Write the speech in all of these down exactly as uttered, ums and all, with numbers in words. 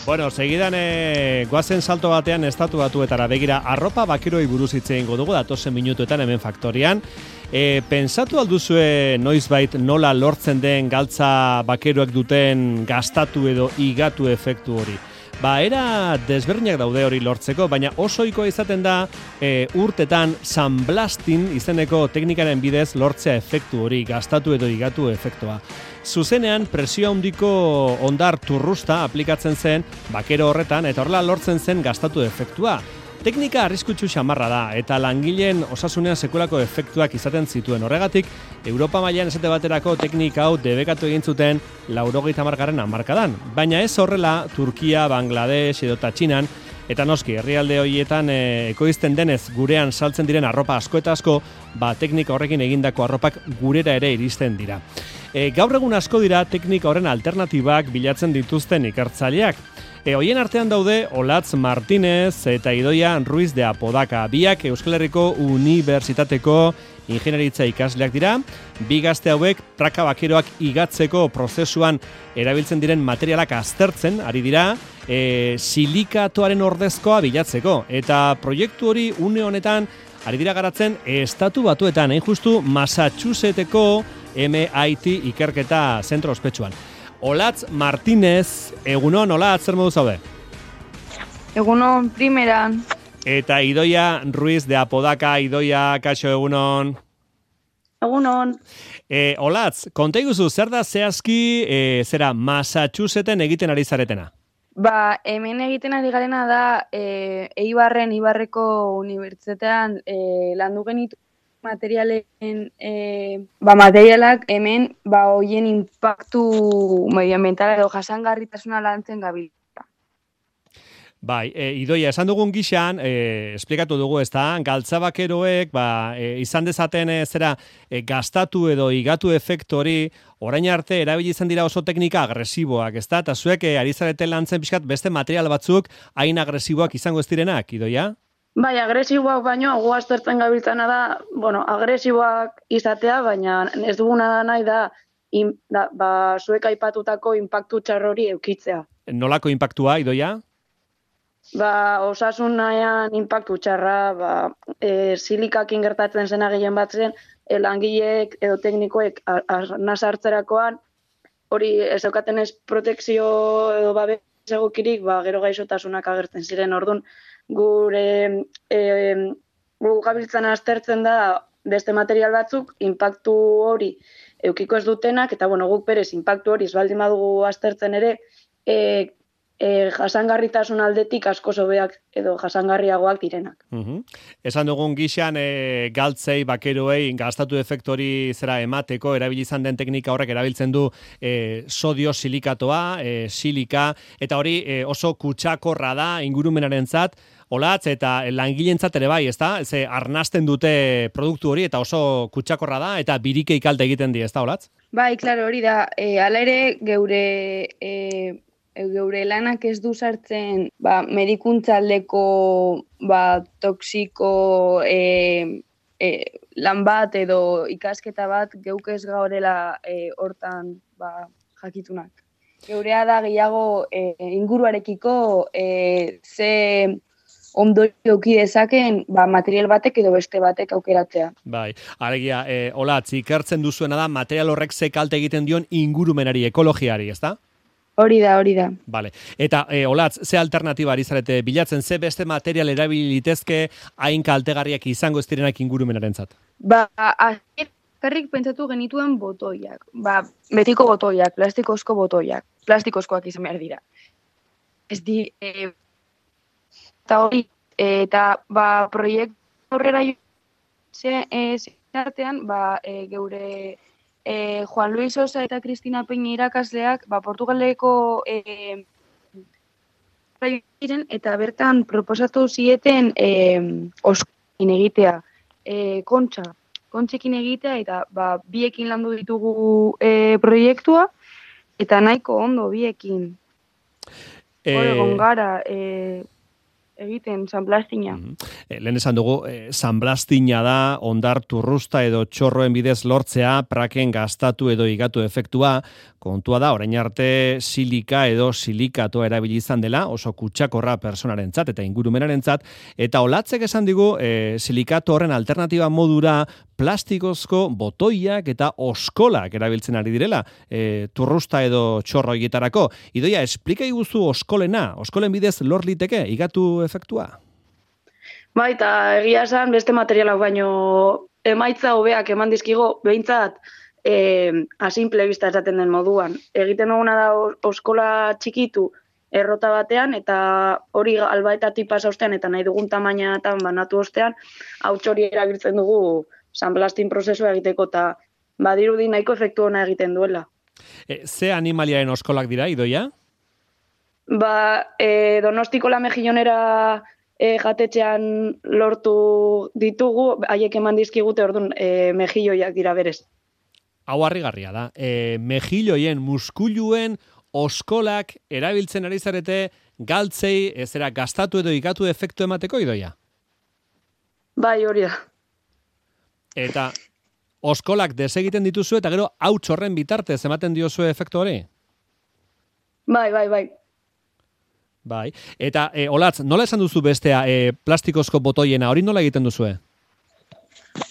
Bueno, segidan e, goazen salto batean estatu batuetara begira arropa bakiroi buruz hitz egingo dugu datozen minutuetan hemen faktorian. E, pensatu alduzue noizbait nola lortzen den galtza bakeroek duten gastatu edo igatu efektu hori? Ba, era desberdinak daude hori lortzeko, baina oso ohikoa izaten da e, urtetan sunblasting izeneko teknikaren bidez lortzea efektu hori, gastatu edo igatu efektua. Zuzenean presio handiko ondar turrusta aplikatzen zen bakero horretan eta horrela lortzen zen gastatu efektua. Teknika arriskutsu xamarra da eta langileen osasunean sekulako efektuak izaten zituen. Horregatik, Europa mailan esate baterako teknika hau debekatu egin zuten laurogeita hamargarren hamarkadan. Baina ez horrela Turkia, Bangladesh edota Txinan, eta noski, herrialde horietan e, ekoizten denez gurean saltzen diren arropa asko eta asko, ba, teknika horrekin egindako arropak gurera ere iristen dira. E, gaur egun asko dira teknika horren alternatibak bilatzen dituzten ikertzaileak. E, hoien artean daude Olatz Martinez eta Idoia Ruiz de Apodaca. Biak Euskal Herriko Unibertsitateko ingenieritza ikasleak dira. Bi gazte hauek praka bakeroak igatzeko prozesuan erabiltzen diren materialak aztertzen ari dira e, silikatoaren ordezkoa bilatzeko. Eta proiektu hori une honetan ari dira garatzen estatu batuetan, hain justu Massachusettseko M I T ikerketa zentro ospetsuan. Olatz Martinez, egunon, Olatz, zer modu zaude? Egunon, primeran. Eta Idoia Ruiz de Apodaca, Idoia, kaixo, egunon. Egunon. E, Olatz, konta iguzu, zer da zehazki, e, zera, Massachusetten egiten ari zaretena? Ba, hemen egiten ari garena da, e, Eibarren, Ibarreko unibertsitatean e, landu genitu materialen, e, ba, materialak hemen ba, hoien impactu medioambientala edo jasangarritasuna lantzen gabiltza. Bai, e, Idoia, esan dugun gixan, e, esplikatu dugu, ez da, galtza bakeroek, ba, e, izan dezaten e, zera, e, gastatu edo igatu efektu hori, orain arte erabili izan dira oso teknika agresiboak, ez da, eta zuek e, ari zareten lantzen pixkat beste material batzuk hain agresiboak izango ez direnak, Idoia? Bai, agresiboak baino, gu aztertzen gabiltzana da, bueno, agresiboak izatea, baina ez duguna da nahi da, in, da ba, zuek aipatutako inpaktu txar hori eukitzea. Nolako inpaktua, Idoia? Ba, osasun nahian inpaktu txarra, ba, e, silikakin gertatzen zena gehien batzen, e, langileek edo teknikoek arnaz hartzerakoan, hori ez daukaten ez protekzio edo babes egokirik, ba, gero gaixotasunak agertzen ziren, orduan, gure e, gu gabiltzan aztertzen da beste material batzuk, inpaktu hori eukiko ez dutenak, eta bueno, guk berez inpaktu hori baldin badugu aztertzen ere, e, e, jasangarritasun aldetik asko sobeak edo jasangarriagoak direnak. Uh-huh. Esan dugun gixan e, galtzei, bakeroei, gastatu efektori zera emateko, erabili izan den teknika horrek erabiltzen du e, sodio silikatoa, e, silika, eta hori e, oso kutsakorra da ingurumenarentzat, Olatz, eta langileentzat ere bai, ezta? Ze arnasten dute produktu hori eta oso kutsakorra da eta birikei kalte egiten die, ezta, Olatz? Bai, claro, hori da. E, hala ere geure e, geure lanak ez du sartzen, ba, medikuntzaldeko ba toxiko e, e, lan bat edo ikasketa bat geuk ez gaurela e, hortan ba jakitunak. Geurea da gehiago e, inguruarekiko e, ze ondorio eduki dezaken ba, material batek edo beste batek aukeratzea. Bai, alegia, e, Olatz, ikertzen duzuena da material horrek ze kalte egiten dion ingurumenari, ekologiari, ezta? Hori da, hori da. Vale. Eta, e, Olatz, ze alternatiba ari zarete bilatzen, ze beste material erabili litezke hain kaltegarriak izango ez direnak ingurumenarentzat? Ba, azkerrik pentsatu genituen botoiak. Ba, betiko botoiak, plastikozko botoiak. Plastikozkoak izan behar dira. Ez di... E, Eta hori, eta ba, proiektu aurrera zeartean, ba, e, geure e, Juan Luis Sosa eta Cristina Peña irakasleak ba, Portugaleko e, diren, eta bertan proposatu zieten e, oskoekin egitea, e, kontxa, kontxekin egitea, eta ba, biekin landu ditugu e, proiektua, eta nahiko ondo biekin. E... Hore, gongara, e, egiten San Blastina. Mm -hmm. Lehen esan dugu, eh, San Blastina da ondar turrusta edo txorroen bidez lortzea praken gastatu edo igatu efektua. Kontua da, orain arte silika edo silikatoa erabili izan dela, oso kutsakorra personarentzat eta ingurumenarentzat, eta olatzek esan digu, eh, silikato horren alternatiba modura plastikozko botoiak eta oskolak erabiltzen ari direla, e, turrusta edo txorro egietarako. Idoia, esplika iguzu oskolena, oskolen bidez lor liteke, igatu efektua? Bai, eta egia esan beste materialak baino emaitza hobeak eman dizkigo, behintzat e, asimple bista esaten den moduan. Egiten duguna da oskola txikitu errota batean, eta hori albaetatik pasa ostean, eta nahi dugun tamainatan banatu ostean, hau txori erabiltzen dugu San Blastin prozesua egiteko, eta badirudi nahiko efektu ona egiten duela. E, ze animaliaren oskolak dira, Idoia? Ba, e, Donostiko La Mejillonera e, jatetxean lortu ditugu, haiek eman dizkigute, orduan, e, mejilloiak dira berez. Hau harrigarria da. E, mejilloien, muskuluen oskolak erabiltzen ari zarete galtzei, ezera gastatu edo ikatu efektu emateko, Idoia? Bai, hori da. Eta oskolak desegiten dituzu eta gero hauts horren bitartez ematen diozu efektu hori? Bai, bai, bai. Bai. Eta, e, Olatz, nola esan duzu bestea e, plastikozko botoiena, hori nola egiten duzue?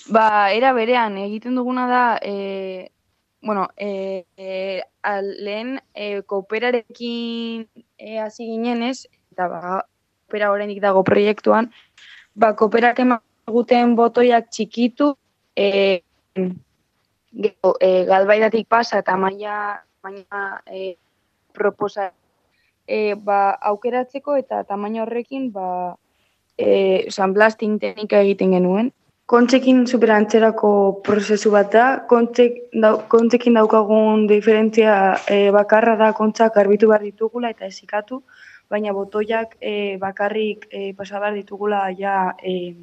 Ba, era berean, egiten duguna da, e, bueno, e, e, al, lehen e, kooperarekin e, hasi ginenez, eta ba, koopera horrenik dago proiektuan, ba, kooperak emaguten botoiak txikitu, e, gero, e, galbaidatik pasa eta maila, maila e, proposa e, ba, aukeratzeko eta tamaina horrekin ba, e, San Blasting teknika egiten genuen. Kontzekin superantzerako prozesu bat da, kontzek, dau, kontzekin daukagun diferentzia e, bakarra da kontzak garbitu behar ditugula eta ezikatu, baina botoiak e, bakarrik e, pasa behar ditugula ja e,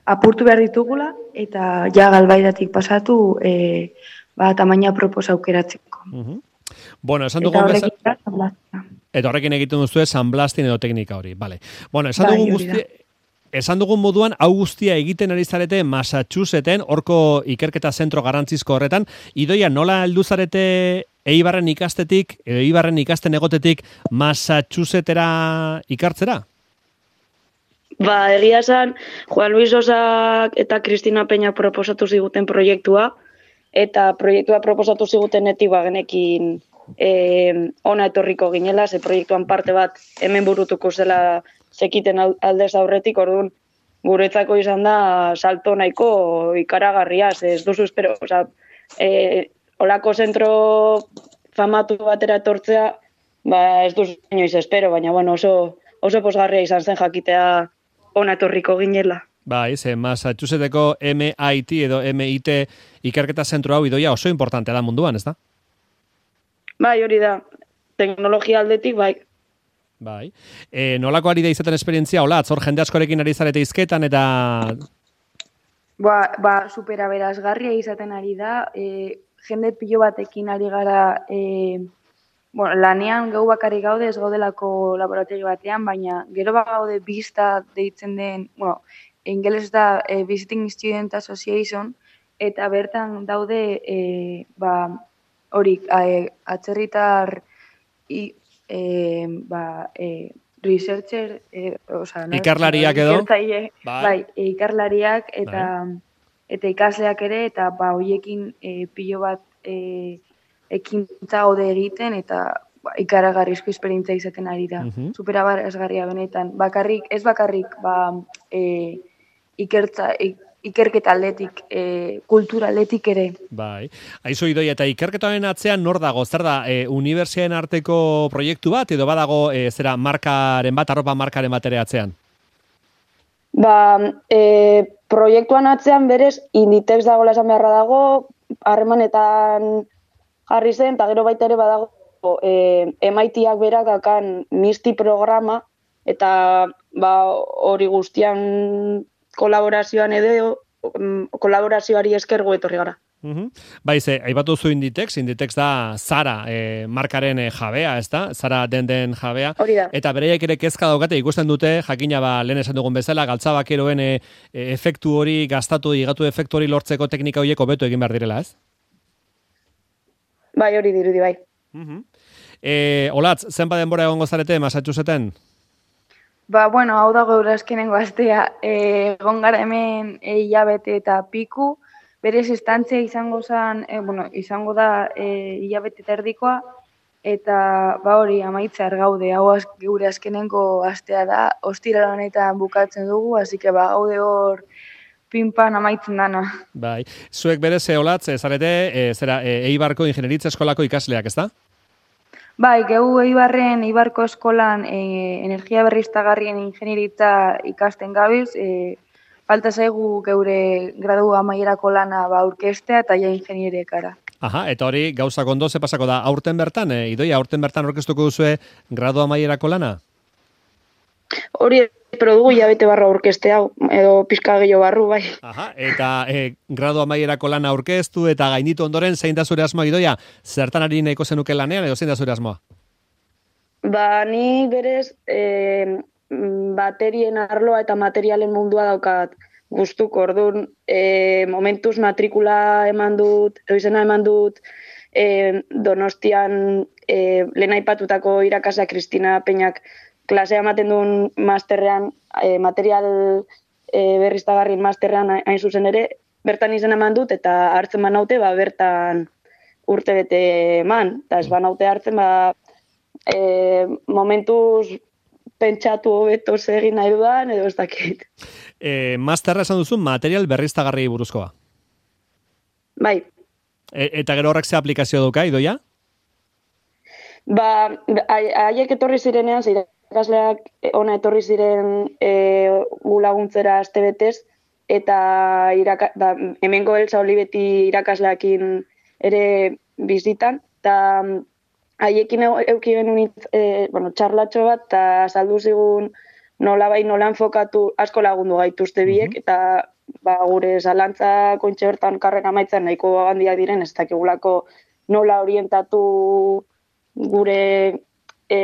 apurtu behar ditugula eta ja galbaidatik pasatu e, ba, tamaina proposa aukeratzeko. Uh-huh. Bueno, esan dugu bezala... Eta horrekin egiten duzu San Blasting edo teknika hori, vale. Bueno, esan dugu guzti... Esan dugun moduan, hau guztia egiten ari zarete Massachusettsen, horko ikerketa zentro garrantzizko horretan. Idoia, nola heldu zarete Eibarren ikastetik, Eibarren ikasten egotetik Massachusettera ikartzera? Ba, egia esan, Juan Luis Osak eta Cristina Peña proposatu ziguten proiektua, eta proiektua proposatu zigutenetik ba, genekin e, ona etorriko ginela, ze proiektuan parte bat hemen burutuko zela zekiten aldez aurretik, orduan guretzako izan da salto nahiko ikaragarria, ez duzu espero, oza, e, olako zentro famatu batera etortzea, ba ez duzu inoiz espero, baina bueno, oso, oso posgarria izan zen jakitea ona etorriko ginela. Bai, ze Massachusetteko M I T edo M I T ikerketa zentro hau Idoia oso importantea da munduan, ez da? Bai, hori da. Teknologia aldetik, bai. Bai. E, nolako ari da izaten esperientzia, hola, atzor jende askorekin ari zarete izketan eta... Ba, ba supera berazgarria izaten ari da, e, jende pilo batekin ari gara, e, bueno, lanean gau bakarrik gaude, ez gaudelako laborategi batean, baina gero bagaude bista deitzen den, bueno, ingeles da e, Visiting Student Association, eta bertan daude, e, ba, hori, e, atzerritar, i, E, ba, e, researcher, e, oza, no? Ikarlariak edo? Bai, bai e, ikarlariak eta, bai. Eta ikasleak ere, eta ba, hoiekin e, pilo bat e, ekintza hode egiten, eta ba, ikaragarrizko esperientzia izaten ari da. Uh-huh. Superabarazgarria benetan. Bakarrik, ez bakarrik, ba, e, ikertza, ik, ikerketa aldetik, e, kultura aldetik ere. Bai. Aizu Idoia, eta ikerketaren atzean nor dago? Zer da, e, unibertsitateen arteko proiektu bat, edo badago e, zera markaren bat, arropa markaren bat ere atzean? Ba, e, proiektuan atzean berez, Inditex dagoela esan beharra dago, harremanetan jarri zen, eta gero baita ere badago e, M I T-ak berak dakan Misty programa, eta ba, hori guztian kolaborazioan edo, kolaborazioari eskergo etorri gara. Uhum. Bai, ze, aipatu zu Inditex, Inditex da Zara e, markaren e, jabea, ez da? Zara den den jabea. Hori da. Eta bereiek ere kezka daukate ikusten dute, jakina ba, lehen esan dugun bezala, galtzabakeroen e, e, efektu hori, gastatu, igatu efektu hori lortzeko teknika horiek hobeto egin behar direla, ez? Bai, hori dirudi, bai. Uhum. E, Olatz, zenba denbora egongo zarete, Massachusetten? Ba, bueno, hau da gaur azkenengo astea, e, egon gara hemen e, hilabete eta piku, berez estantzia izango zen, e, bueno, izango da e, hilabete eta erdikoa, eta ba hori amaitzear gaude, hau az, gure azkenengo astea da, ostira honetan bukatzen dugu, hasi que ba gaude hor pinpan amaitzen dana. Bai, zuek berez, Olatz, zarete, e, zera, e, Eibarko ingenieritza eskolako ikasleak, ez da? Bai, gehu Eibarren Eibarko eskolan e, energia berriztagarrien ingenieritza ikasten gabiz, e, falta zaigu geure gradu amaierako lana ba aurkestea eta ja ingenierekara. Aha, eta hori gauzak ondo ze pasako da aurten bertan, e, Idoia, aurten bertan aurkeztuko duzue gradu amaierako lana? Hori espero dugu hilabete barra aurkezte hau, edo pixka gehiago barru, bai. Aha, eta e, gradu amaierako lana aurkeztu eta gainditu ondoren zein da zure asmoa, Idoia? Zertan ari nahiko zenuke lanean edo zein da zure asmoa? Ba, ni berez e, baterien arloa eta materialen mundua daukat gustuko, orduan e, momentuz matrikula eman dut, edo izena eman dut e, Donostian e, lehen aipatutako irakasle Kristina Peñak klasea ematen duen masterrean, e, material e, berriztagarrien masterrean hain zuzen ere, bertan izena eman dut eta hartzen banaute, ba, bertan urte bete eman, eta ez banaute hartzen, ba, e, momentuz pentsatu hobeto egin nahi dudan, edo ez dakit. E, masterra esan duzu material berriztagarri buruzkoa. Bai. E, eta gero horrek ze aplikazio duka, Idoia? Ba, haiek etorri zirenean, irakasleak ona etorri ziren e, gu laguntzera astebetez, eta iraka, da, hemengo Elsa Olibeti irakasleakin ere bizitan, eta haiekin euki genuen e, bueno, txarlatxo bat, eta saldu zigun nola bai nola enfokatu asko lagundu gaituzte biek, uh-huh. eta ba, gure zalantza kontxe bertan karrera amaitzen nahiko handiak diren, ez dakigulako nola orientatu gure e,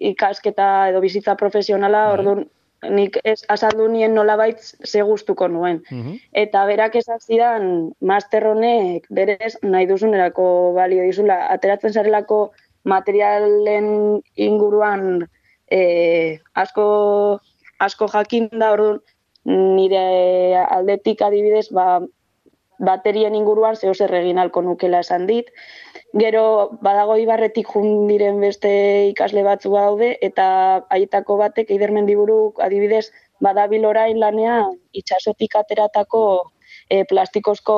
ikasketa edo bizitza profesionala, uh-huh. orduan nik ez azaldu nien nolabait ze gustuko nuen. Uh-huh. Eta berak esan zidan master honek berez nahi duzunerako balio dizula. Ateratzen zarelako materialen inguruan e, asko, asko jakin da, orduan nire aldetik adibidez, ba, baterien inguruan zeo zer egin alko nukela esan dit. Gero badago Ibarretik jun diren beste ikasle batzu daude, eta haietako batek Eider Mendiburuk adibidez badabil orain lanean itsasotik ateratako e, plastikozko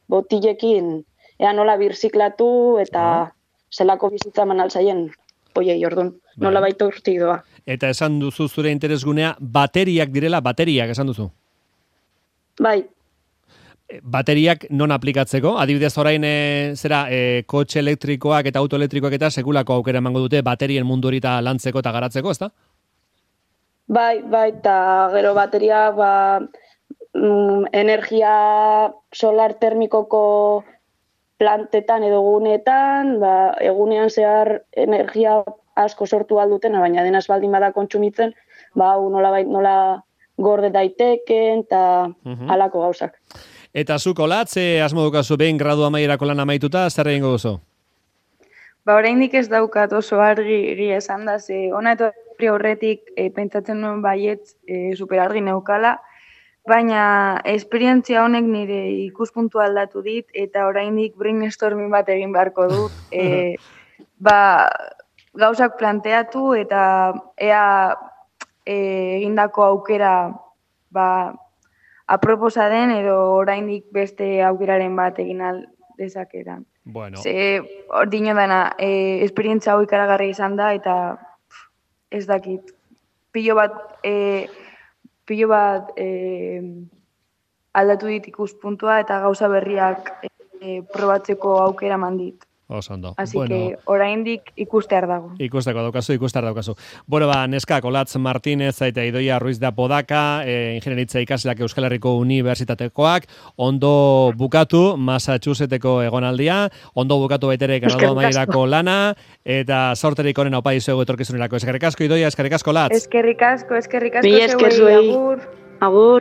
botilekin ea nola birziklatu eta ah. zelako bizitza eman alzaien hoiei, orduan, nola baita urtik doa. Eta esan duzu zure interesgunea bateriak direla, bateriak esan duzu? Bai. Bateriak non aplikatzeko? Adibidez orain e, zera e, kotxe elektrikoak eta auto elektrikoak eta sekulako aukera emango dute baterien mundu hori eta lantzeko eta garatzeko, ezta? Bai, bai, eta gero bateria ba, mm, energia solar termikoko plantetan edo gunetan, ba, egunean zehar energia asko sortu alduten, baina denaz baldin bada kontsumitzen, ba, nola, bai, nola gorde daiteken eta uh-huh. alako gauzak. Eta zuk Olatz, e, asmo dukazu behin gradu amaierako lan amaituta, zer egingo duzu? Ba, oraindik ez daukat oso argi egia esan da, ze ona etorri horretik e, pentsatzen nuen baietz e, super argi neukala, baina esperientzia honek nire ikuspuntua aldatu dit, eta oraindik brainstorming bat egin beharko dut, e, ba, gauzak planteatu eta ea e, egindako aukera ba, aproposa den edo oraindik beste aukeraren bat egin al dezakeran. Bueno. Ze hor dino dana, e, esperientzia hau ikaragarri izan da eta pff, ez dakit. Pilo bat, e, pilo bat e, aldatu dit ikuspuntua eta gauza berriak e, probatzeko aukera eman dit. Oso ondo. Así bueno, que oraindik ikustear dago. Ikusteko daukazu, ikustear daukazu. Bueno, ba, neska, Olatz Martínez eta Idoia Ruiz da Podaka, e, ingenieritza ikasleak Euskal Herriko Unibertsitatekoak, ondo bukatu Massachusettseko egonaldia, ondo bukatu baitere gradu amaierako lana, eta sorterik honen aupa izuegu etorkizunerako. Eskerrik asko, Idoia, eskerrik asko, Latz. Eskerrik asko, eskerrik asko, Mila esker zuei. agur. Agur.